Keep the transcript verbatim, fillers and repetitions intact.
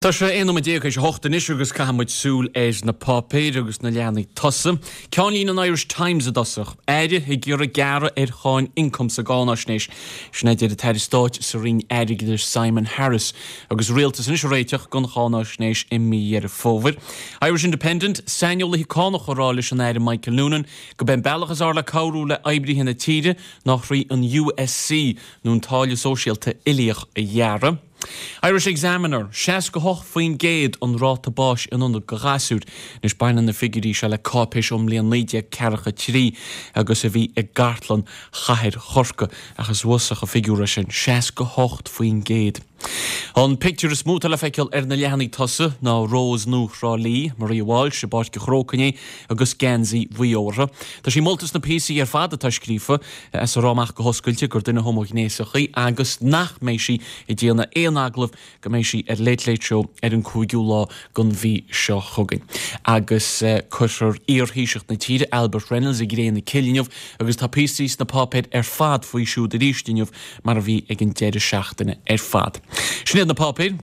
Tá sé aon nóiméad déag théis a hocht anois agus caithfidh muid súil ar na páipéir agus na leathanaigh tosaigh. Ceannlíne an Irish Times i dtosach. Aire ag iarraidh gearradh ar cháin ioncaim sa gcáinaisnéis. Sin é a deir an tAire Stáit sa Roinn Airgeadais Simon Harris agus rialtas anois ag réiteach don cháinaisnéis i mí Dheireadh Fómhair. Irish Independent, Saineolaithe cánach ag rá leis an Aire Michael Noonan go b'é an bealach is fhearr le cabhrú le oibrithe na tíre ná thrí an USC nó an táille sóisialta uilíoch a ghearradh. Irish Examiner, seasca hocht faoin gcéad an ráta báis in ionad do ghasúir. Anois baineann na figiúirí seo le cáipéis ón mbliain naoi déag ceathracha trí agus a bhí i gcartlann chathair Chorcaí, ach is uafásach an figiúr é sin, seasca hocht faoin gcéad. An pictiúr is mó atá le feiceáil ar na leathanaigh tosaigh ná Rós nua Thrá Lí, Maria Walsh, i bPáirc an Chrócaigh inné agus geansaí Mhaigh Eo uirthi. Tá sí molta sna píosaí ar fad atá scríofa as a rá amach go hoscailte gur duine homaighnéasach í agus nach mbeidh sí ag déanamh aon agallamh go mbeidh sí ar Late Late Show ar an cúigiú lá den mhí seo chugainn. Agus cuirfear iar-Thaoiseach na tíre, Albert Reynolds, i gcré na cille inniu agus tá píosaí sna páipéir ar fad faoi siúd arís inniu mar a bhí ag an deireadh seachtaine ar fad. Sin iad na páipéir.